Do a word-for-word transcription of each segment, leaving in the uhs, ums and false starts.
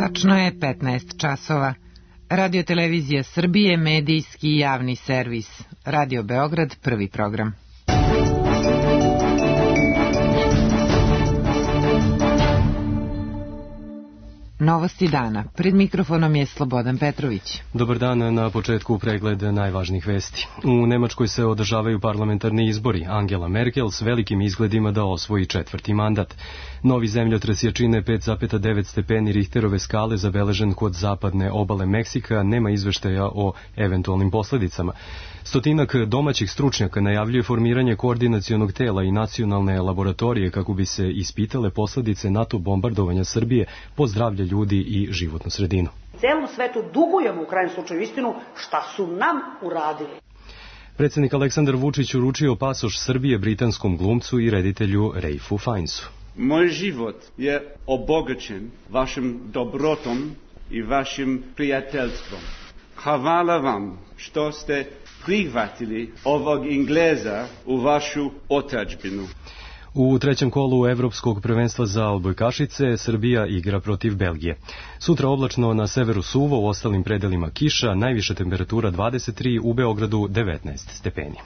Tačno je petnaest časova. Radio Televizija Srbije, medijski i javni servis. Radio Beograd, prvi program. Novosti dana. Pred mikrofonom je Slobodan Petrović. Dobar dan, na početku pregled najvažnijih vesti. U Nemačkoj se održavaju parlamentarni izbori. Angela Merkel s velikim izgledima da osvoji četvrti mandat. Novi zemljotres jačine pet zarez devet stepeni Richterove skale zabeležen kod zapadne obale Meksika, nema izveštaja o eventualnim posledicama. Stotinak domaćih stručnjaka najavljuje formiranje koordinacionog tela i nacionalne laboratorije kako bi se ispitale posledice NATO bombardovanja Srbije po zdravlje ljudi i životnu sredinu. Celom svetu dugujemo u krajnjem slučaju istinu šta su nam uradili. Predsjednik Aleksandar Vučić uručio pasoš Srbije britanskom glumcu i reditelju Ralphu Fiennesu. Moj život je obogaćen vašim dobrotom i vašim prijateljstvom. Hvala vam što ste prihvatili ovog Engleza u vašu otadžbinu. U trećem kolu Evropskog prvenstva za odbojkašice Srbija igra protiv Belgije. Sutra oblačno, na severu suvo, u ostalim predelima kiša, najviša temperatura dvadeset tri, u Beogradu devetnaest stepeni.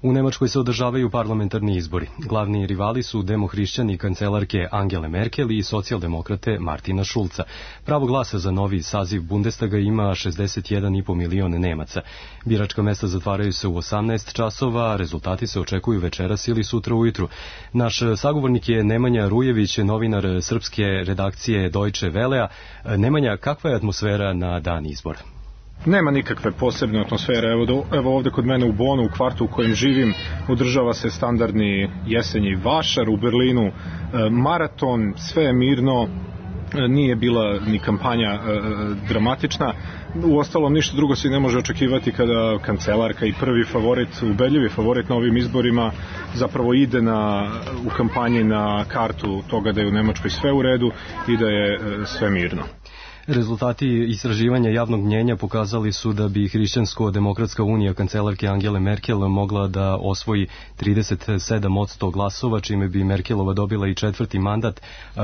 U Nemačkoj se održavaju parlamentarni izbori. Glavni rivali su demohrišćani kancelarke Angele Merkel i socijaldemokrate Martina Schulza. Pravo glasa za novi saziv Bundestaga ima šezdeset jedan i po milion Nemaca. Biračka mesta zatvaraju se u osamnaest časova, rezultati se očekuju večeras ili sutra ujutru. Naš sagovornik je Nemanja Rujević, novinar srpske redakcije Deutsche Wellea. Nemanja, kakva je atmosfera na dan izbora? Nema nikakve posebne atmosfere. Evo, do, evo ovde kod mene u Bonu, u kvartu u kojem živim, održava se standardni jesenji vašar. U Berlinu e, maraton, sve je mirno, e, nije bila ni kampanja e, dramatična. Uostalom, ništa drugo se ne može očekivati kada kancelarka i prvi favorit, ubedljivi favorit na ovim izborima zapravo ide na, u kampanji na kartu toga da je u Nemačkoj sve u redu i da je e, sve mirno. Rezultati istraživanja javnog mnjenja pokazali su da bi Hrišćansko-demokratska unija kancelarke Angele Merkel mogla da osvoji trideset sedam posto glasova, čime bi Merkelova dobila i četvrti mandat.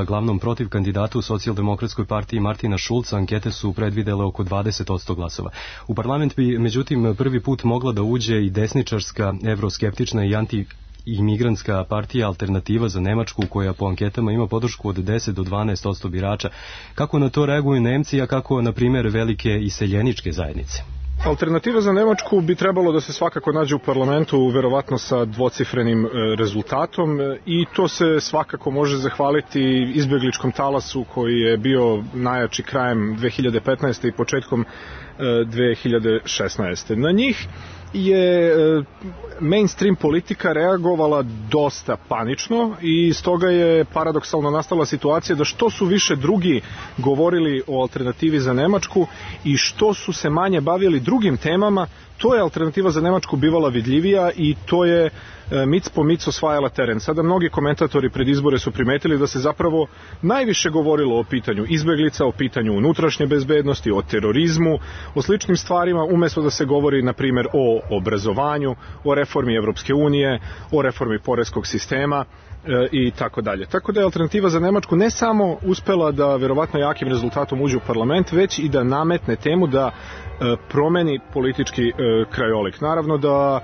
Glavnom protiv kandidatu u socijaldemokratskoj partiji Martina Schulza ankete su predvidele oko dvadeset posto glasova. U parlament bi, međutim, prvi put mogla da uđe i desničarska, evroskeptična i anti imigrantska partija Alternativa za Nemačku, koja po anketama ima podršku od deset do dvanaest posto birača. Kako na to reaguju Nemci, a kako, na primjer, velike iseljeničke zajednice? Alternativa za Nemačku bi trebalo da se svakako nađe u parlamentu, verovatno sa dvocifrenim rezultatom, i to se svakako može zahvaliti izbegličkom talasu koji je bio najjači krajem dve hiljade petnaeste i početkom dve hiljade šesnaeste. Na njih je mainstream politika reagovala dosta panično i stoga je paradoksalno nastala situacija da što su više drugi govorili o alternativi za Nemačku i što su se manje bavili drugim temama, to je alternativa za Nemačku bivala vidljivija i to je mic po mic osvajala teren. Sada mnogi komentatori pred izbore su primetili da se zapravo najviše govorilo o pitanju izbeglica, o pitanju unutrašnje bezbednosti, o terorizmu, o sličnim stvarima, umesto da se govori, na primjer, o obrazovanju, o reformi Evropske unije, o reformi poreskog sistema i tako dalje. Tako da je alternativa za Nemačku ne samo uspela da verovatno jakim rezultatom uđe u parlament, već i da nametne temu da promeni politički krajolik. Naravno da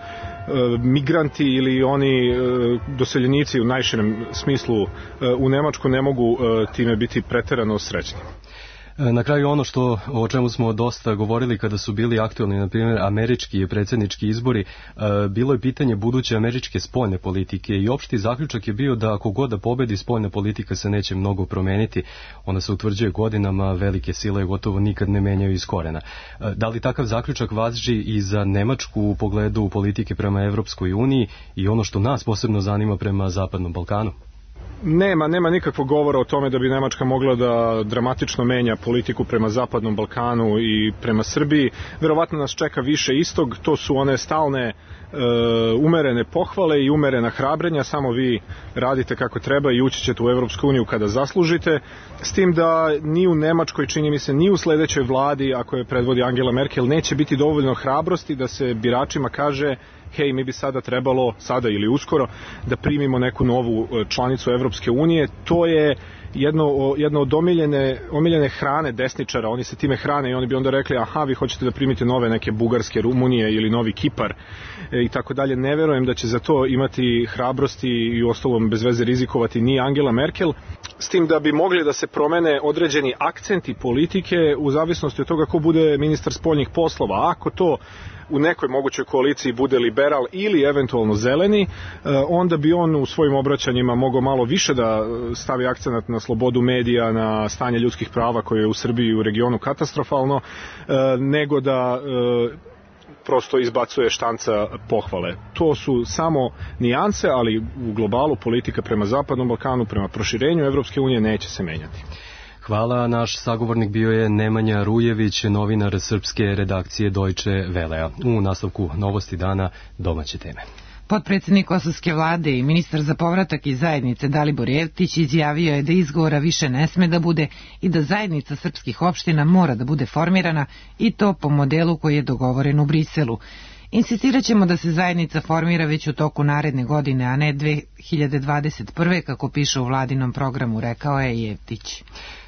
migranti ili oni doseljenici u najširem smislu u Nemačku ne mogu time biti preterano srećni. Na kraju ono što, o čemu smo dosta govorili kada su bili aktualni, na primjer, američki i predsjednički izbori, bilo je pitanje buduće američke spoljne politike i opšti zaključak je bio da ako god da pobedi, spoljna politika se neće mnogo promeniti. Ona se utvrđuje godinama, velike sile gotovo nikad ne menjaju iz korena. Da li takav zaključak važi i za Nemačku u pogledu politike prema Evropskoj uniji i ono što nas posebno zanima prema Zapadnom Balkanu? Nema, nema nikakvog govora o tome da bi Nemačka mogla da dramatično menja politiku prema Zapadnom Balkanu i prema Srbiji. Verovatno nas čeka više istog, to su one stalne e, umerene pohvale i umerena hrabrenja, samo vi radite kako treba i ući ćete u Evropsku uniju kada zaslužite, s tim da ni u Nemačkoj, čini mi se, ni u sledećoj vladi, ako je predvodi Angela Merkel, neće biti dovoljno hrabrosti da se biračima kaže hej, mi bi sada trebalo, sada ili uskoro, da primimo neku novu članicu Evropske unije. To je jedno, jedno od omiljene, omiljene hrane desničara, oni se time hrane i oni bi onda rekli, aha, vi hoćete da primite nove neke Bugarske, Rumunije ili novi Kipar e, i tako dalje. Ne verujem da će za to imati hrabrosti i ostalom bez veze rizikovati ni Angela Merkel, s tim da bi mogli da se promene određeni akcenti politike u zavisnosti od toga ko bude ministar spoljnih poslova. Ako to u nekoj mogućoj koaliciji bude liberal ili eventualno zeleni, onda bi on u svojim obraćanjima mogao malo više da stavi akcenat na slobodu medija, na stanje ljudskih prava koje je u Srbiji i u regionu katastrofalno, nego da prosto izbacuje štanca pohvale. To su samo nijanse, ali u globalu politika prema Zapadnom Balkanu, prema proširenju Evropske unije neće se menjati. Hvala, naš sagovornik bio je Nemanja Rujević, novinar srpske redakcije Deutsche Wellea. U nastavku novosti dana domaće teme. Potpredsednik kosovske vlade i ministar za povratak iz zajednice Dalibor Jevtić izjavio je da izgovora više ne sme da bude i da zajednica srpskih opština mora da bude formirana i to po modelu koji je dogovoren u Briselu. Insistirat ćemo da se zajednica formira već u toku naredne godine, a ne dve hiljade dvadeset prve kako piše u vladinom programu, rekao je Jevtić.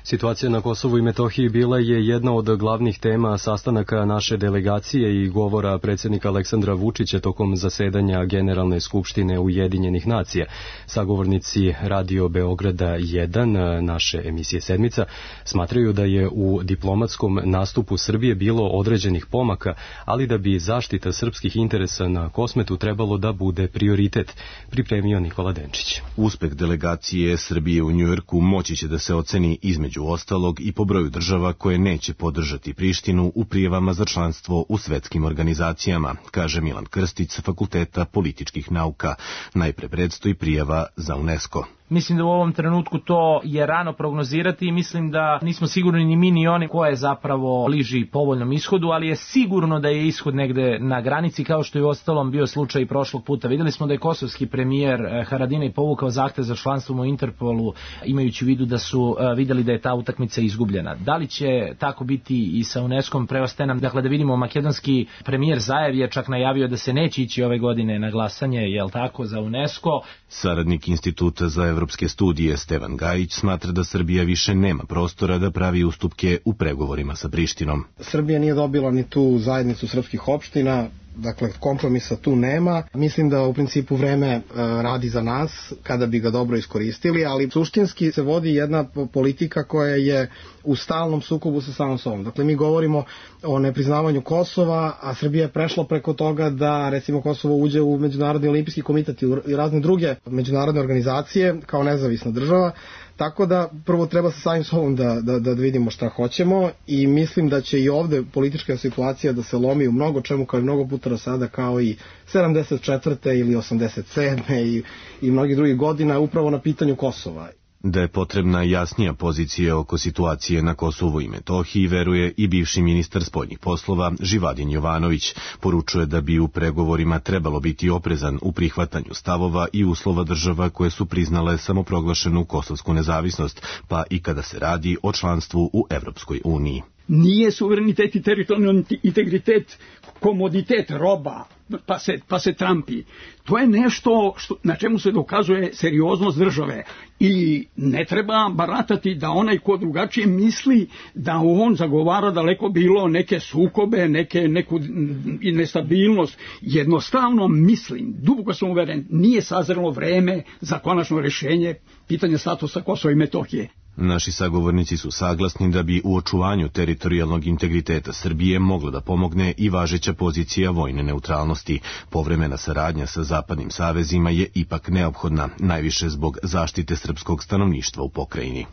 Situacija na Kosovu i Metohiji bila je jedna od glavnih tema sastanaka naše delegacije i govora predsjednika Aleksandra Vučića tokom zasedanja Generalne skupštine Ujedinjenih nacija. Sagovornici Radio Beograda jedan, naše emisije Sedmica, smatraju da je u diplomatskom nastupu Srbije bilo određenih pomaka, ali da bi zaštita srpskih interesa na Kosmetu trebalo da bude prioritet, pripremio Nikola Denčić. Uspeh delegacije Srbije u Njujorku moći će da se oceni između među ostalog i po broju država koje neće podržati Prištinu u prijavama za članstvo u svetskim organizacijama, kaže Milan Krstić sa Fakulteta političkih nauka. Najpre predstoji prijava za UNESCO. Mislim da u ovom trenutku to je rano prognozirati i mislim da nismo sigurni ni mi ni oni ko je zapravo bliži povoljnom ishodu, ali je sigurno da je ishod negde na granici, kao što je u ostalom bio slučaj i prošlog puta. Videli smo da je kosovski premijer Haradinaj povukao zahtev za članstvom u Interpolu, imajući u vidu da su videli da je ta utakmica izgubljena. Da li će tako biti i sa UNESCO-om, preostaje nam dakle da vidimo. Makedonski premijer Zajev je čak najavio da se neće ići ove godine na glasanje, jel tako, za UNESCO. Saradnik Instituta za evropske studije Stevan Gajić smatra da Srbija više nema prostora da pravi ustupke u pregovorima sa Prištinom. Srbija nije dobila ni tu zajednicu srpskih opština, dakle kompromisa tu nema. Mislim da u principu vreme e, radi za nas kada bi ga dobro iskoristili, ali suštinski se vodi jedna politika koja je u stalnom sukobu sa samom sobom. Dakle, mi govorimo o nepriznavanju Kosova, a Srbija je prešla preko toga da recimo Kosovo uđe u Međunarodni olimpijski komitet i razne druge međunarodne organizacije kao nezavisna država. Tako da prvo treba sa samim sobom da, da, da vidimo šta hoćemo i mislim da će i ovde politička situacija da se lomi u mnogo čemu kao i mnogo puta do sada, kao i sedamdeset četvrte ili osamdeset sedme i, i mnogi drugih godina upravo na pitanju Kosova. Da je potrebna jasnija pozicija oko situacije na Kosovu i Metohiji, veruje i bivši ministar spoljnih poslova Živadin Jovanović. Poručuje da bi u pregovorima trebalo biti oprezan u prihvatanju stavova i uslova država koje su priznale samoproglašenu kosovsku nezavisnost, pa i kada se radi o članstvu u Evropskoj uniji. Nije suverenitet i teritorijalni integritet komoditet, roba, pa se, pa se trampi. To je nešto što, na čemu se dokazuje serioznost države i ne treba baratati da onaj ko drugačije misli da on zagovara daleko bilo neke sukobe, neke, neku nestabilnost. Jednostavno mislim, duboko sam uveren, nije sazrelo vreme za konačno rešenje pitanja statusa Kosova i Metohije. Naši sagovornici su saglasni da bi u očuvanju teritorijalnog integriteta Srbije mogla da pomogne i važeća pozicija vojne neutralnosti. Povremena saradnja sa zapadnim savezima je ipak neophodna, najviše zbog zaštite srpskog stanovništva u pokrajini.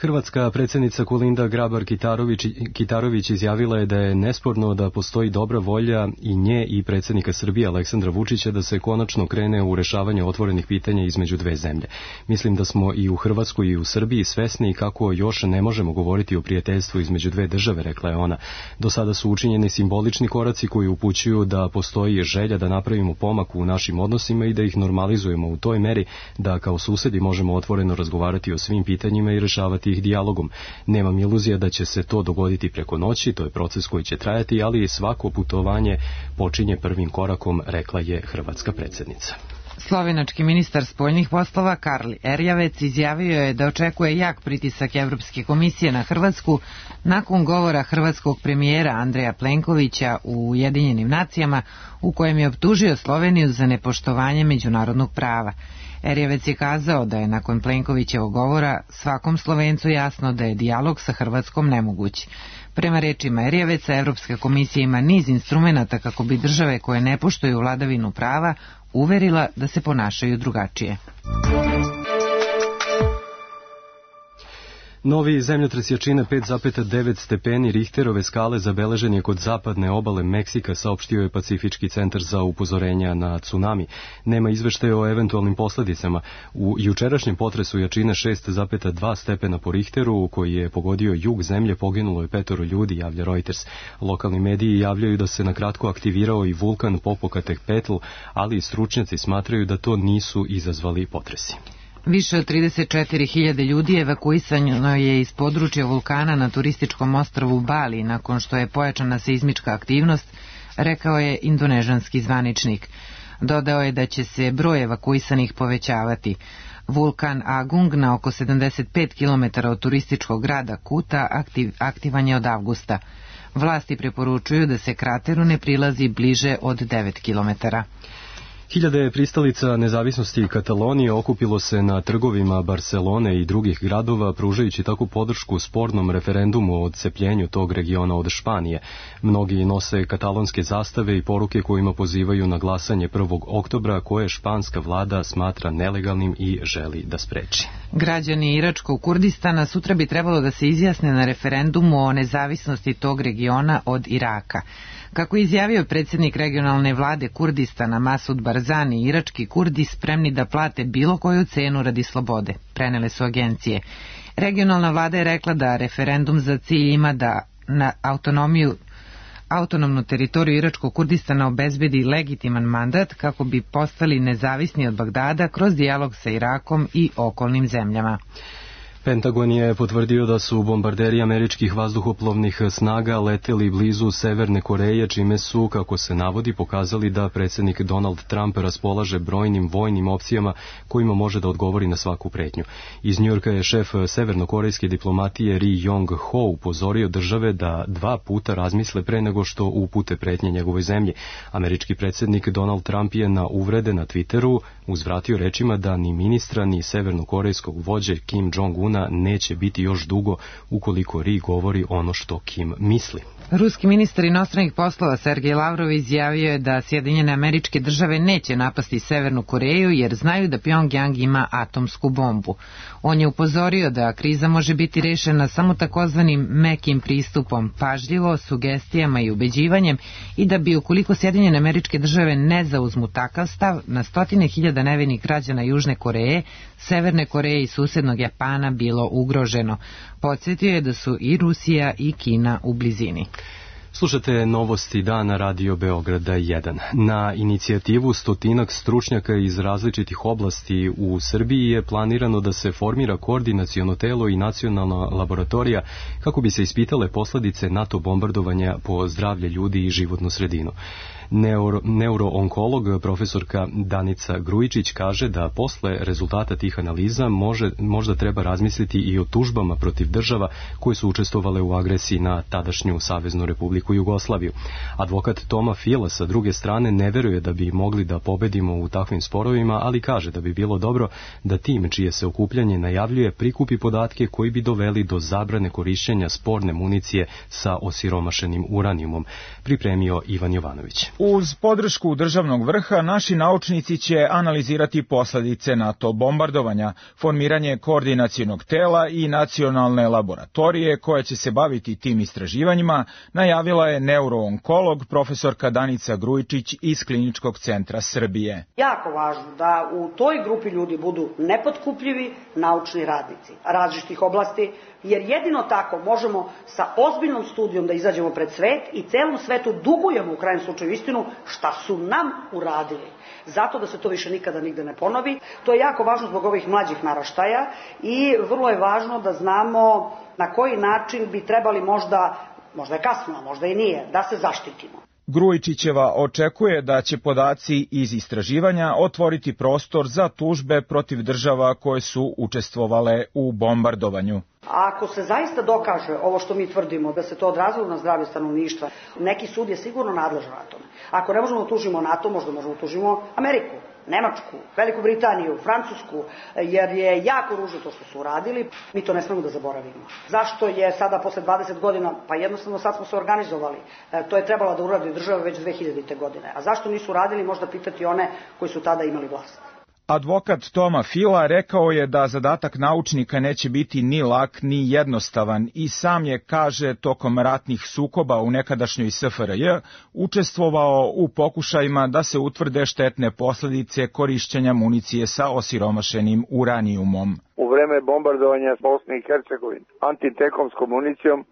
Hrvatska predsjednica Kolinda Grabar-Kitarović, Kitarović izjavila je da je nesporno da postoji dobra volja i nje i predsjednika Srbije Aleksandra Vučića da se konačno krene u rešavanje otvorenih pitanja između dve zemlje. Mislim da smo i u Hrvatskoj i u Srbiji svesni kako još ne možemo govoriti o prijateljstvu između dve države, rekla je ona. Do sada su učinjeni simbolični koraci koji upućuju da postoji želja da napravimo pomak u našim odnosima i da ih normalizujemo u toj meri da kao susedi možemo otvoreno razgovarati o svim pitanjima i rešavati rešavati ih dijalogom. Nemam iluzija da će se to dogoditi preko noći, to je proces koji će trajati, ali svako putovanje počinje prvim korakom, rekla je hrvatska predsjednica. Slovenački ministar spoljnih poslova Karl Erjavec izjavio je da očekuje jak pritisak Evropske komisije na Hrvatsku nakon govora hrvatskog premijera Andreja Plenkovića u Ujedinjenim nacijama u kojem je optužio Sloveniju za nepoštovanje međunarodnog prava. Erjavec je kazao da je nakon Plenkovićevog govora svakom Slovencu jasno da je dijalog sa Hrvatskom nemoguć. Prema rečima Erjaveca, Evropska komisija ima niz instrumenata kako bi države koje ne poštuju vladavinu prava uverila da se ponašaju drugačije. Novi zemljotres jačine pet zarez devet stepeni Richterove skale zabeležen je kod zapadne obale Meksika, saopštio je Pacifički centar za upozorenja na tsunami. Nema izveštaja o eventualnim posledicama. U jučerašnjem potresu jačine šest zarez dva stepena po Richteru, koji je pogodio jug zemlje, poginulo je petoro ljudi, javlja Reuters. Lokalni mediji javljaju da se na kratko aktivirao i vulkan Popocatépetl, ali i stručnjaci smatraju da to nisu izazvali potresi. Više od trideset četiri hiljade ljudi evakuisano je iz područja vulkana na turističkom ostrvu Bali nakon što je pojačana seizmička aktivnost, rekao je indonežanski zvaničnik. Dodao je da će se broj evakuisanih povećavati. Vulkan Agung na oko sedamdeset pet kilometara od turističkog grada Kuta aktiv, aktivan je od avgusta. Vlasti preporučuju da se krateru ne prilazi bliže od devet kilometara. Hiljade pristalica nezavisnosti Katalonije okupilo se na trgovima Barcelone i drugih gradova, pružajući takvu podršku spornom referendumu o odcepljenju tog regiona od Španije. Mnogi nose katalonske zastave i poruke kojima pozivaju na glasanje prvog oktobra, koje španska vlada smatra nelegalnim i želi da spreči. Građani Iračkog Kurdistana sutra bi trebalo da se izjasne na referendumu o nezavisnosti tog regiona od Iraka. Kako je izjavio predsjednik regionalne vlade Kurdistana Masud Barzani, irački Kurdi spremni da plate bilo koju cenu radi slobode, prenele su agencije. Regionalna vlada je rekla da referendum za cilj ima da na autonomiju autonomnu teritoriju Iračkog Kurdistana obezbedi legitiman mandat kako bi postali nezavisni od Bagdada kroz dijalog sa Irakom i okolnim zemljama. Pentagon je potvrdio da su bombarderi američkih vazduhoplovnih snaga leteli blizu Severne Koreje, čime su, kako se navodi, pokazali da predsjednik Donald Trump raspolaže brojnim vojnim opcijama kojima može da odgovori na svaku pretnju. Iz Njujorka je šef severnokorejske diplomatije Ri Yong Ho upozorio države da dva puta razmisle pre nego što upute pretnje njegovoj zemlji. Američki predsjednik Donald Trump je na uvrede na Twitteru uzvratio rečima da ni ministra ni severnokorejskog vođe Kim Jong-una neće biti još dugo ukoliko Ri govori ono što Kim misli. Ruski ministar inostranih poslova Sergej Lavrov izjavio je da Sjedinjene Američke Države neće napasti Severnu Koreju jer znaju da Pjongjang ima atomsku bombu. On je upozorio da kriza može biti rešena samo takozvanim mekim pristupom, pažljivo, sugestijama i ubeđivanjem i da bi ukoliko Sjedinjene Američke Države ne zauzmu takav stav, na stotine hiljada nevinih građana Južne Koreje, Severne Koreje i susednog Japana bilo ugroženo. Podsjetio je da su i Rusija i Kina u blizini. Slušate novosti dana Radio Beograda jedan. Na inicijativu stotinak stručnjaka iz različitih oblasti u Srbiji je planirano da se formira koordinaciono telo i nacionalna laboratorija kako bi se ispitale posledice NATO bombardovanja po zdravlje ljudi i životnu sredinu. Neuro, neuroonkolog profesorka Danica Grujičić kaže da posle rezultata tih analiza može, možda treba razmisliti i o tužbama protiv država koje su učestvovale u agresiji na tadašnju Saveznu Republiku Jugoslaviju. Advokat Toma Fila sa druge strane ne veruje da bi mogli da pobedimo u takvim sporovima, ali kaže da bi bilo dobro da tim čije se okupljanje najavljuje prikupi podatke koji bi doveli do zabrane korišćenja sporne municije sa osiromašenim uranijumom, pripremio Ivan Jovanović. Uz podršku državnog vrha, naši naučnici će analizirati posledice NATO bombardovanja, formiranje koordinacionog tela i nacionalne laboratorije koje će se baviti tim istraživanjima, najavila je neuroonkolog profesorka Danica Grujičić iz Kliničkog centra Srbije. Jako važno da u toj grupi ljudi budu nepotkupljivi naučni radnici različitih oblasti, jer jedino tako možemo sa ozbiljnom studijom da izađemo pred svet i celom svetu dugujemo u krajnjem slučaju istinu istinu šta su nam uradili. Zato da se to više nikada nigde ne ponovi. To je jako važno zbog ovih mlađih naraštaja i vrlo je važno da znamo na koji način bi trebali možda, možda je kasno, možda i nije, da se zaštitimo. Grujičićeva očekuje da će podaci iz istraživanja otvoriti prostor za tužbe protiv država koje su učestvovale u bombardovanju. Ako se zaista dokaže ovo što mi tvrdimo, da se to odrazilo na zdravlje stanovništva, neki sud je sigurno nadležan na tome. Ako ne možemo tužimo NATO, možda možemo tužimo Ameriku, Nemačku, Veliku Britaniju, Francusku, jer je jako ružno to što su uradili. Mi to ne smemo da zaboravimo. Zašto je sada posle dvadeset godina, pa jednostavno sad smo se organizovali. E, to je trebala da uradi država već dve hiljadite. godine. A zašto nisu uradili, možda pitati one koji su tada imali vlast. Advokat Toma Fila rekao je da zadatak naučnika neće biti ni lak ni jednostavan i sam je, kaže, tokom ratnih sukoba u nekadašnjoj S F R J učestvovao u pokušajima da se utvrde štetne posljedice korišćenja municije sa osiromašenim uranijumom. U vreme bombardovanja Bosne i Hercegovine antitekomskom municijom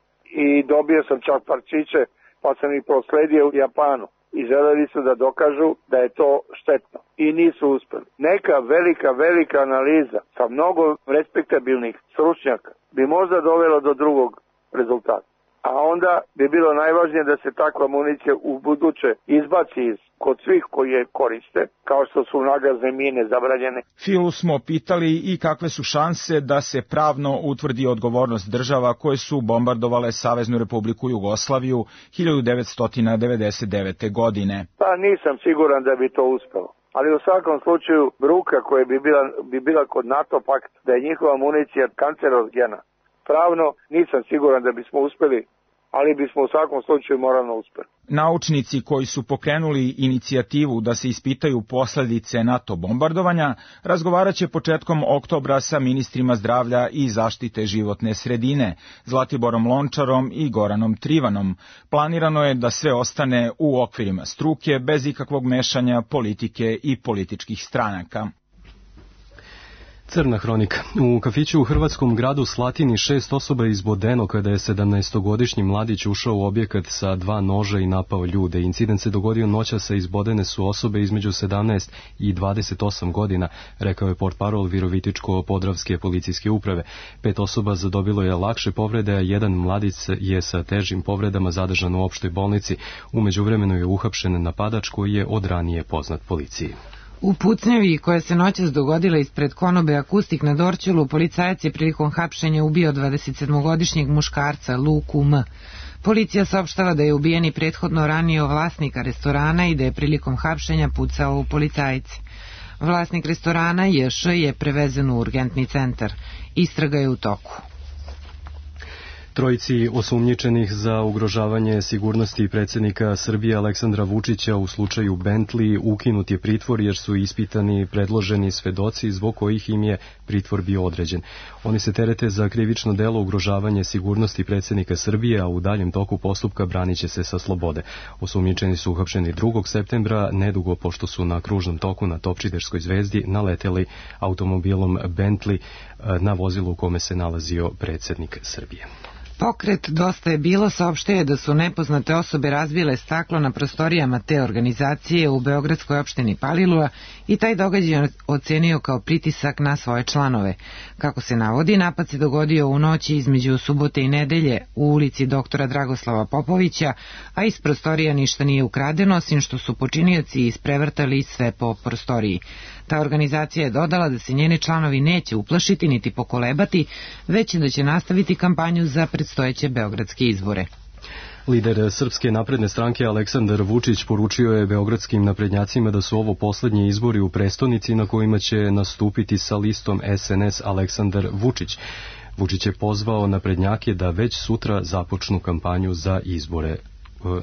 i dobio sam čak parčiće pa sam ih prosledio u Japanu. I želeli su da dokažu da je to štetno. I nisu uspeli. Neka velika, velika analiza sa mnogo respektabilnih stručnjaka bi možda dovela do drugog rezultata. A onda bi bilo najvažnije da se takva municija u buduće izbaci iz kod svih koji je koriste, kao što su nagazne mine zabranjene. Filu smo pitali i kakve su šanse da se pravno utvrdi odgovornost država koje su bombardovale Saveznu Republiku Jugoslaviju hiljadu devetsto devedeset devete. godine. Pa nisam siguran da bi to uspelo. Ali u svakom slučaju bruka koja bi bila, bi bila kod NATO pakt, da je njihova municija kancerogena. Pravno nisam siguran da bismo uspeli, ali bismo u svakom slučaju moralno uspeli. Naučnici koji su pokrenuli inicijativu da se ispitaju posljedice NATO bombardovanja razgovarat će početkom oktobra sa ministrima zdravlja i zaštite životne sredine, Zlatiborom Lončarom i Goranom Trivanom. Planirano je da sve ostane u okvirima struke bez ikakvog mešanja politike i političkih stranaka. Crna hronika. U kafiću u hrvatskom gradu Slatini šest osoba je izbodeno kada je sedamnaestogodišnji mladić ušao u objekat sa dva noža i napao ljude. Incident se dogodio noćas, a izbodene su osobe između sedamnaest i dvadeset osam godina, rekao je portparol Virovitičko-podravske policijske uprave. Pet osoba zadobilo je lakše povrede, a jedan mladić je sa težim povredama zadržan u opštoj bolnici. U međuvremenu je uhapšen napadač koji je od ranije poznat policiji. U pucnjavi koja se noćas dogodila ispred konobe Akustik na Dorćolu, policajac je prilikom hapšenja ubio dvadesetsedmogodišnjeg muškarca Luku M. Policija saopštava da je ubijeni prethodno ranio vlasnika restorana i da je prilikom hapšenja pucao u policajce. Vlasnik restorana J Š je prevezen u urgentni centar. Istraga je u toku. Trojici osumnjičenih za ugrožavanje sigurnosti predsjednika Srbije Aleksandra Vučića u slučaju Bentley ukinut je pritvor jer su ispitani predloženi svedoci zbog kojih im je pritvor bio određen. Oni se terete za krivično delo ugrožavanje sigurnosti predsjednika Srbije, a u daljem toku postupka branit će se sa slobode. Osumnjičeni su uhapšeni drugog septembra, nedugo pošto su na kružnom toku na Topčiderskoj zvezdi naleteli automobilom Bentley na vozilu u kome se nalazio predsjednik Srbije. Pokret Dosta je bilo saopštio da su nepoznate osobe razbile staklo na prostorijama te organizacije u beogradskoj opštini Palilula i taj događaj ocenio kao pritisak na svoje članove. Kako se navodi, napad se dogodio u noći između subote i nedelje u ulici doktora Dragoslava Popovića, a iz prostorija ništa nije ukradeno, osim što su počinioci isprevrtali sve po prostoriji. Ta organizacija je dodala da se njeni članovi neće uplašiti niti pokolebati, već da će nastaviti kampanju za predstojeće beogradske izbore. Lider Srpske napredne stranke Aleksandar Vučić poručio je beogradskim naprednjacima da su ovo poslednji izbori u prestonici na kojima će nastupiti sa listom S N S Aleksandar Vučić. Vučić je pozvao naprednjake da već sutra započnu kampanju za izbore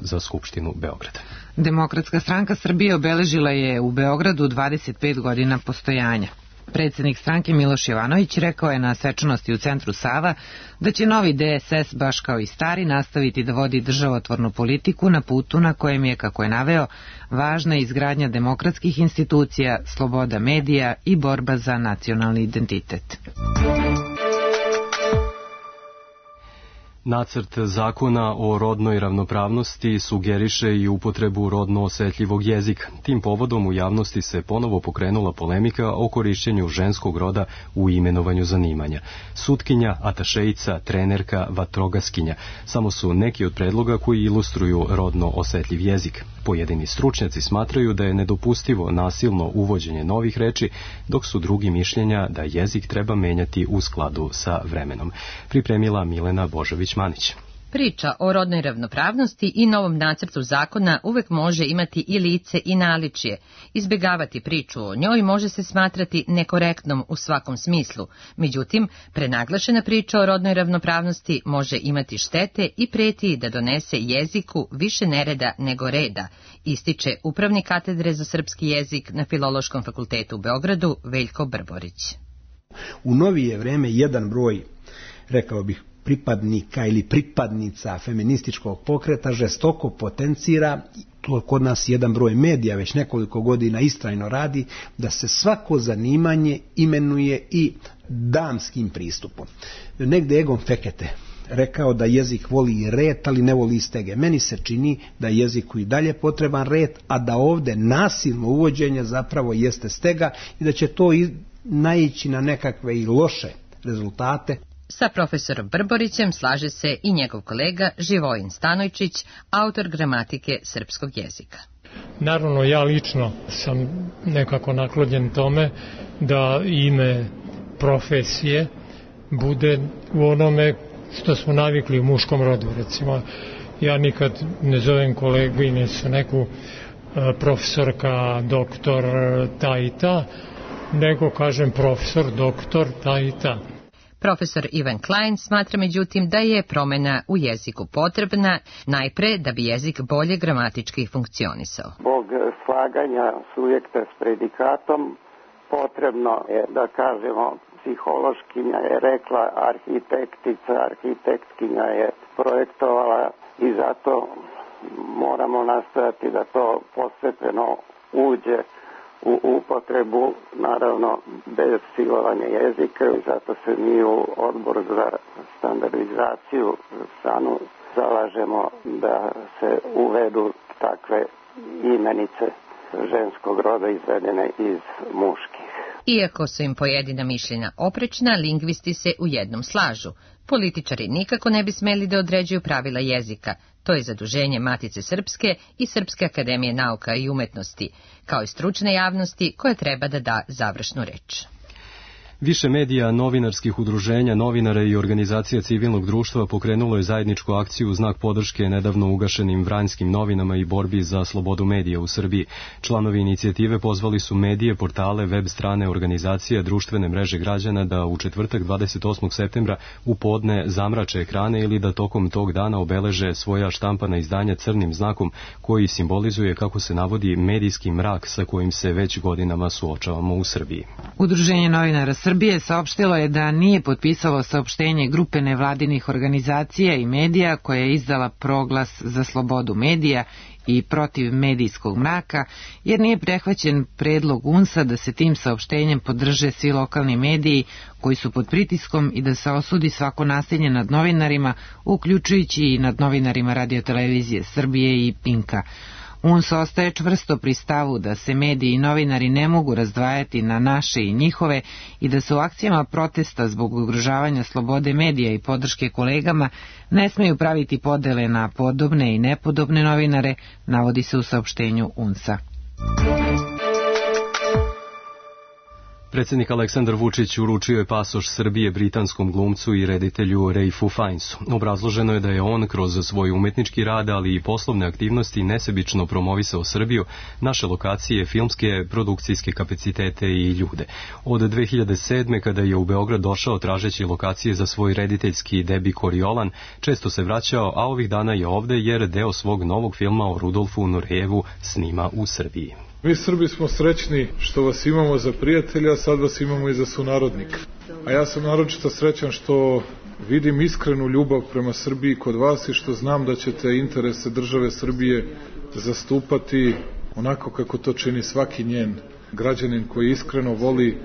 za Skupštinu Beograda. Demokratska stranka Srbije obeležila je u Beogradu dvadeset pet godina postojanja. Predsjednik stranke Miloš Jovanović rekao je na svečanosti u centru Sava da će novi D S S, baš kao i stari, nastaviti da vodi državotvornu politiku na putu na kojem je, kako je naveo, važna izgradnja demokratskih institucija, sloboda medija i borba za nacionalni identitet. Nacrt zakona o rodnoj ravnopravnosti sugeriše i upotrebu rodno osetljivog jezika. Tim povodom u javnosti se ponovo pokrenula polemika o korišćenju ženskog roda u imenovanju zanimanja. Sutkinja, atašejica, trenerka, vatrogaskinja samo su neki od predloga koji ilustruju rodno osetljiv jezik. Pojedini stručnjaci smatraju da je nedopustivo nasilno uvođenje novih reči, dok su drugi mišljenja da jezik treba menjati u skladu sa vremenom. Pripremila Milena Božović-Manić. Priča o rodnoj ravnopravnosti i novom nacrtu zakona uvek može imati i lice i naličje. Izbjegavati priču o njoj može se smatrati nekorektnom u svakom smislu. Međutim, prenaglašena priča o rodnoj ravnopravnosti može imati štete i preti da donese jeziku više nereda nego reda, ističe upravnik katedre za srpski jezik na Filološkom fakultetu u Beogradu Veljko Brborić. U novije vreme jedan broj, rekao bih, pripadnika ili pripadnica feminističkog pokreta žestoko potencira, to kod nas jedan broj medija već nekoliko godina istrajno radi, da se svako zanimanje imenuje i damskim pristupom. Negde Egon Fekete rekao da jezik voli red, ali ne voli stege. Meni se čini da je jeziku i dalje potreban red, a da ovde nasilno uvođenje zapravo jeste stega i da će to naići na nekakve i loše rezultate. Sa profesorom Brborićem slaže se i njegov kolega Živojin Stanojčić, autor gramatike srpskog jezika. Naravno, ja lično sam nekako naklonjen tome da ime profesije bude u onome što smo navikli u muškom rodu. Recimo, ja nikad ne zovem koleginicu neku profesorka, doktor, ta i ta, nego kažem profesor, doktor, ta i ta. Profesor Ivan Klein smatra međutim da je promjena u jeziku potrebna, najpre da bi jezik bolje gramatički funkcionisao. Zbog slaganja subjekta s predikatom potrebno je da kažemo psihološkinja je rekla, arhitektica, arhitektkinja je projektovala i zato moramo nastojati da to postepeno uđe u upotrebu, naravno bez silovanja jezika, i zato se mi u Odboru za standardizaciju stanu zalažemo da se uvedu takve imenice ženskog roda izvedene iz muških. Iako su im pojedina mišljenja oprečna, lingvisti se u jednom slažu. Političari nikako ne bi smeli da određuju pravila jezika. To je zaduženje Matice Srpske i Srpske akademije nauka i umetnosti, kao i stručne javnosti koja treba da da završnu reč. Više medija, novinarskih udruženja, novinara i organizacija civilnog društva pokrenulo je zajedničku akciju u znak podrške nedavno ugašenim Vranjskim novinama i borbi za slobodu medija u Srbiji. Članovi inicijative pozvali su medije, portale, web strane, organizacije, društvene mreže građana da u četvrtak dvadeset osmog septembra u podne zamrače ekrane ili da tokom tog dana obeleže svoja štampana izdanja crnim znakom koji simbolizuje, kako se navodi, medijski mrak sa kojim se već godinama suočavamo u Srbiji. Udruženje novinara Srbije saopštilo je da nije potpisalo saopštenje grupe nevladinih organizacija i medija koja je izdala proglas za slobodu medija i protiv medijskog mraka, jer nije prehvaćen predlog U N S A da se tim saopštenjem podrže svi lokalni mediji koji su pod pritiskom i da se osudi svako nasilje nad novinarima, uključujući i nad novinarima radiotelevizije Srbije i Pinka. U N S A ostaje čvrsto pri stavu da se mediji i novinari ne mogu razdvajati na naše i njihove i da se u akcijama protesta zbog ugrožavanja slobode medija i podrške kolegama ne smeju praviti podele na podobne i nepodobne novinare, navodi se u saopštenju U N S A. Predsjednik Aleksandar Vučić uručio je pasoš Srbije britanskom glumcu i reditelju Ralphu Fiennesu. Obrazloženo je da je on kroz svoj umetnički rad, ali i poslovne aktivnosti nesebično promovisao Srbiju, naše lokacije, filmske, produkcijske kapacitete i ljude. Od dve hiljade sedme. kada je u Beograd došao tražeći lokacije za svoj rediteljski debi Koriolan, često se vraćao, a ovih dana je ovde jer deo svog novog filma o Rudolfu Nurejevu snima u Srbiji. Mi Srbi smo srećni što vas imamo za prijatelja, a sad vas imamo i za sunarodnika. A ja sam naročito srećan što vidim iskrenu ljubav prema Srbiji kod vas i što znam da ćete interese države Srbije zastupati onako kako to čini svaki njen građanin koji iskreno voli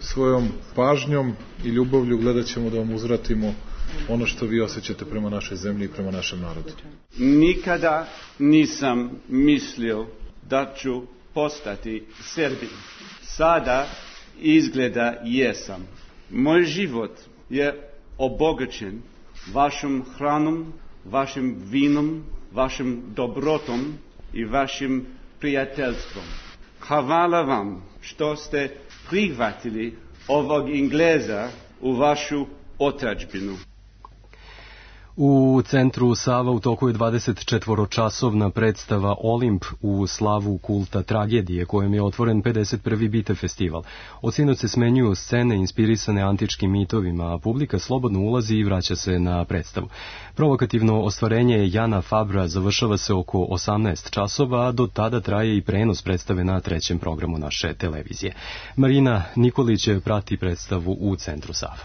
svojom pažnjom i ljubavlju. Gledat ćemo da vam uzvratimo ono što vi osjećate prema našoj zemlji i prema našem narodu. Nikada nisam mislio da ću postati Srbin. Sada izgleda jesam. Moj život je obogaćen vašom hranom, vašim vinom, vašim dobrotom i vašim prijateljstvom. Hvala vam što ste prihvatili ovog Engleza u vašu otadžbinu. U centru Sava u toku je dvadesetčetvoročasovna predstava Olimp u slavu kulta tragedije, kojem je otvoren pedeset prvi Bite festival. Od sinoć se smenjuju scene inspirisane antičkim mitovima, a publika slobodno ulazi i vraća se na predstavu. Provokativno ostvarenje Jana Fabra završava se oko osamnaest časova, a do tada traje i prenos predstave na trećem programu naše televizije. Marina Nikolić prati predstavu u centru Sava.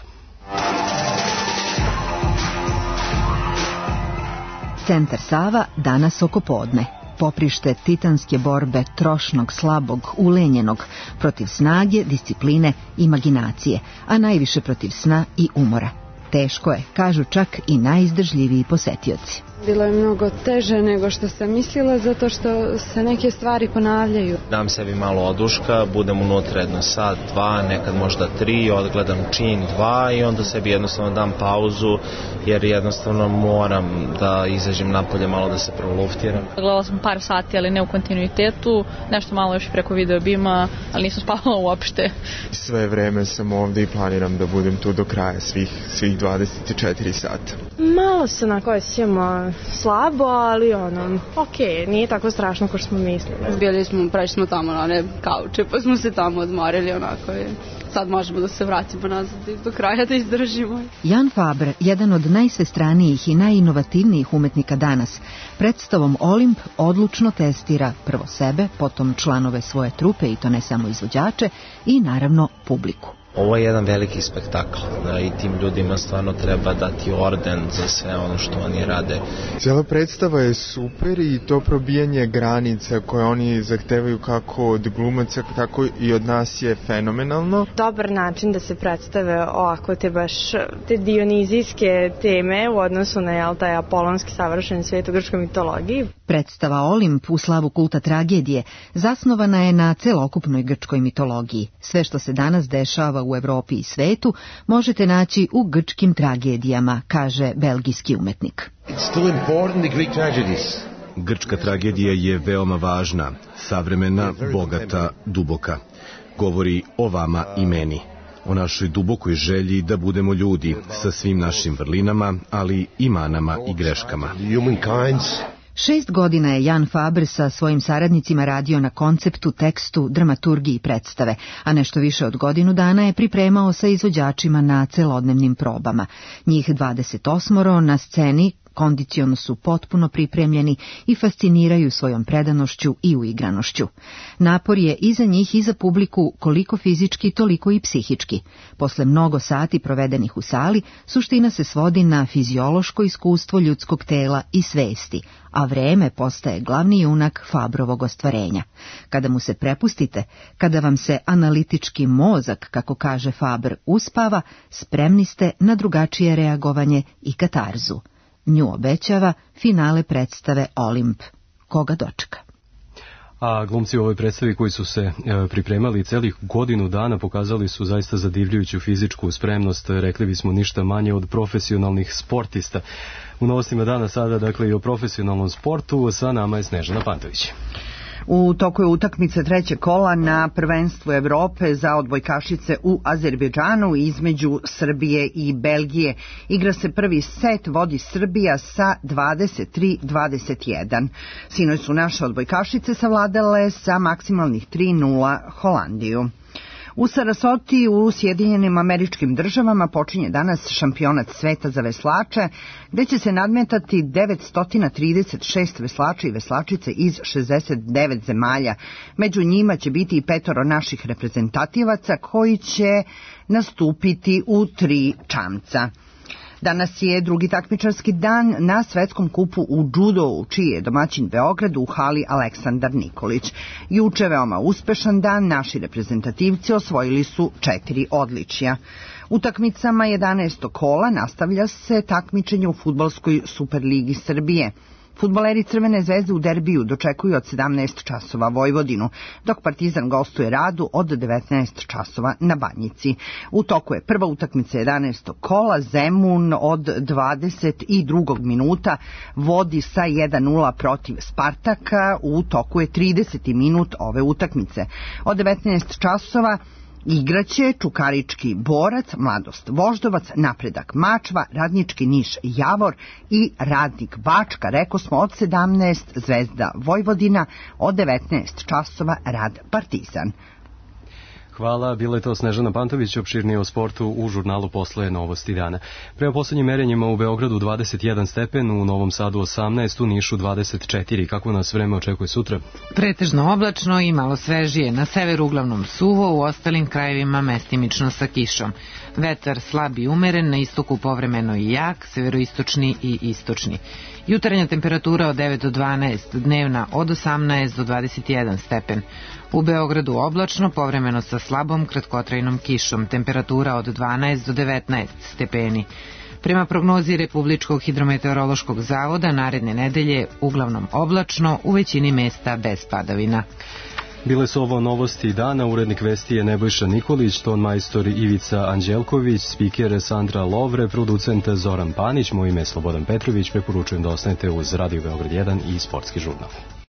Centar Sava danas oko podne. Poprište titanske borbe trošnog, slabog, ulenjenog, protiv snage, discipline, imaginacije, a najviše protiv sna i umora. Teško je, kažu čak i najizdržljiviji posetioci. Bilo je mnogo teže nego što sam mislila, zato što se neke stvari ponavljaju. Dam sebi malo oduška, budem unutra jedno sat, dva, nekad možda tri, odgledam čin, dva i onda sebi jednostavno dam pauzu, jer jednostavno moram da izađem napolje malo da se proluftiram. Gledala sam par sati, ali ne u kontinuitetu, nešto malo još preko videobima, ali nisam spavala uopšte. Sve vreme sam ovdje i planiram da budem tu do kraja svih, svih dvadeset četiri sata. Malo se onako osjećamo slabo, ali ono, okej, nije tako strašno kao što smo mislili. Bili smo, prešli smo tamo na one kauče, pa smo se tamo odmorili onako i sad možemo da se vratimo nazad i do kraja da izdržimo. Jan Fabre, jedan od najsvestranijih i najinovativnijih umetnika danas, predstavom Olimp odlučno testira prvo sebe, potom članove svoje trupe, i to ne samo izvođače, i naravno publiku. Ovo je jedan veliki spektakl, da i tim ljudima stvarno treba dati orden za sve ono što oni rade. Cijela predstava je super i to probijanje granica koje oni zahtevaju kako od glumaca, tako i od nas je fenomenalno. Dobar način da se predstave ovako te baš te dionizijske teme u odnosu na jel, taj apolonski savršen svijet u grčkoj mitologiji. Predstava Olimp u slavu kulta tragedije zasnovana je na celokupnoj grčkoj mitologiji. Sve što se danas dešava u Evropi i svetu možete naći u grčkim tragedijama, kaže belgijski umetnik. Grčka tragedija je veoma važna, savremena, bogata, duboka. Govori o vama i meni, o našoj dubokoj želji da budemo ljudi sa svim našim vrlinama, ali i manama i greškama. Šest godina je Jan Fabre sa svojim saradnicima radio na konceptu, tekstu, dramaturgiji predstave, a nešto više od godinu dana je pripremao sa izvođačima na celodnevnim probama. Njih dvadeset osam na sceni kondiciono su potpuno pripremljeni i fasciniraju svojom predanošću i uigranošću. Napor je i za njih i za publiku koliko fizički, toliko i psihički. Posle mnogo sati provedenih u sali, suština se svodi na fiziološko iskustvo ljudskog tela i svesti, a vreme postaje glavni junak Fabrovog ostvarenja. Kada mu se prepustite, kada vam se analitički mozak, kako kaže Faber, uspava, spremni ste na drugačije reagovanje i katarzu. Nju obećava finale predstave Olimp. Koga dočeka? A glumci u ovoj predstavi koji su se e, pripremali celih godinu dana pokazali su zaista zadivljujuću fizičku spremnost, rekli bismo ništa manje od profesionalnih sportista. U novostima dana sada, dakle, i o profesionalnom sportu, sa nama je Snežana Pantović. U toku je utakmice trećeg kola na prvenstvu Evrope za odbojkašice u Azerbejdžanu između Srbije i Belgije. Igra se prvi set, vodi Srbija sa dvadeset tri dvadeset jedan. Sinoć su naše odbojkašice savladale sa maksimalnih tri nula Holandiju. U Sarasoti u Sjedinjenim Američkim Državama počinje danas šampionat sveta za veslače, gde će se nadmetati devetsto trideset šest veslača i veslačice iz šezdeset devet zemalja. Među njima će biti i petoro naših reprezentativaca koji će nastupiti u tri čamca. Danas je drugi takmičarski dan na svetskom kupu u džudou, čiji je domaćin Beograd u hali Aleksandar Nikolić. Juče veoma uspešan dan, naši reprezentativci osvojili su četiri odličja. U takmicama jedanaestog kola nastavlja se takmičenje u fudbalskoj Superligi Srbije. Fudbaleri Crvene zvezde u derbiju dočekuju od sedamnaest časova Vojvodinu, dok Partizan gostuje Radu od devetnaest časova na Banjici. U toku je prva utakmica jedanaestog kola, Zemun od dvadeset drugog minuta vodi sa jedan nula protiv Spartaka, u toku je trideseti minut ove utakmice. Od devetnaest časova igraće Čukarički Borac, Mladost Voždovac, Napredak Mačva, Radnički Niš Javor i Radnik Bačka. Reko smo od sedamnaest Zvezda Vojvodina, od devetnaest časova Rad Partizan. Hvala, bila je to Snežana Pantović, opširnije o sportu u žurnalu Posle novosti dana. Prema poslednjim merenjima u Beogradu dvadeset jedan stepen, u Novom Sadu osamnaest, u Nišu dvadeset četiri. Kako nas vreme očekuje sutra? Pretežno oblačno i malo svežije, na severu uglavnom suvo, u ostalim krajevima mestimično sa kišom. Vetar slab i umeren, na istoku povremeno i jak, severoistočni i istočni. Jutarnja temperatura od devet do dvanaest, dnevna od osamnaest do dvadeset jedan stepen. U Beogradu oblačno, povremeno sa slabom kratkotrajnom kišom, temperatura od dvanaest do devetnaest stepeni. Prema prognozi Republičkog hidrometeorološkog zavoda, naredne nedelje uglavnom oblačno, u većini mesta bez padavina. Bile su ovo novosti dana, urednik vesti je Nebojša Nikolić, ton majstor Ivica Anđelković, spiker Sandra Lovre, producent Zoran Panić, moje ime je Slobodan Petrović, preporučujem da ostanete uz Radio Beograd jedan i Sportski žurnal.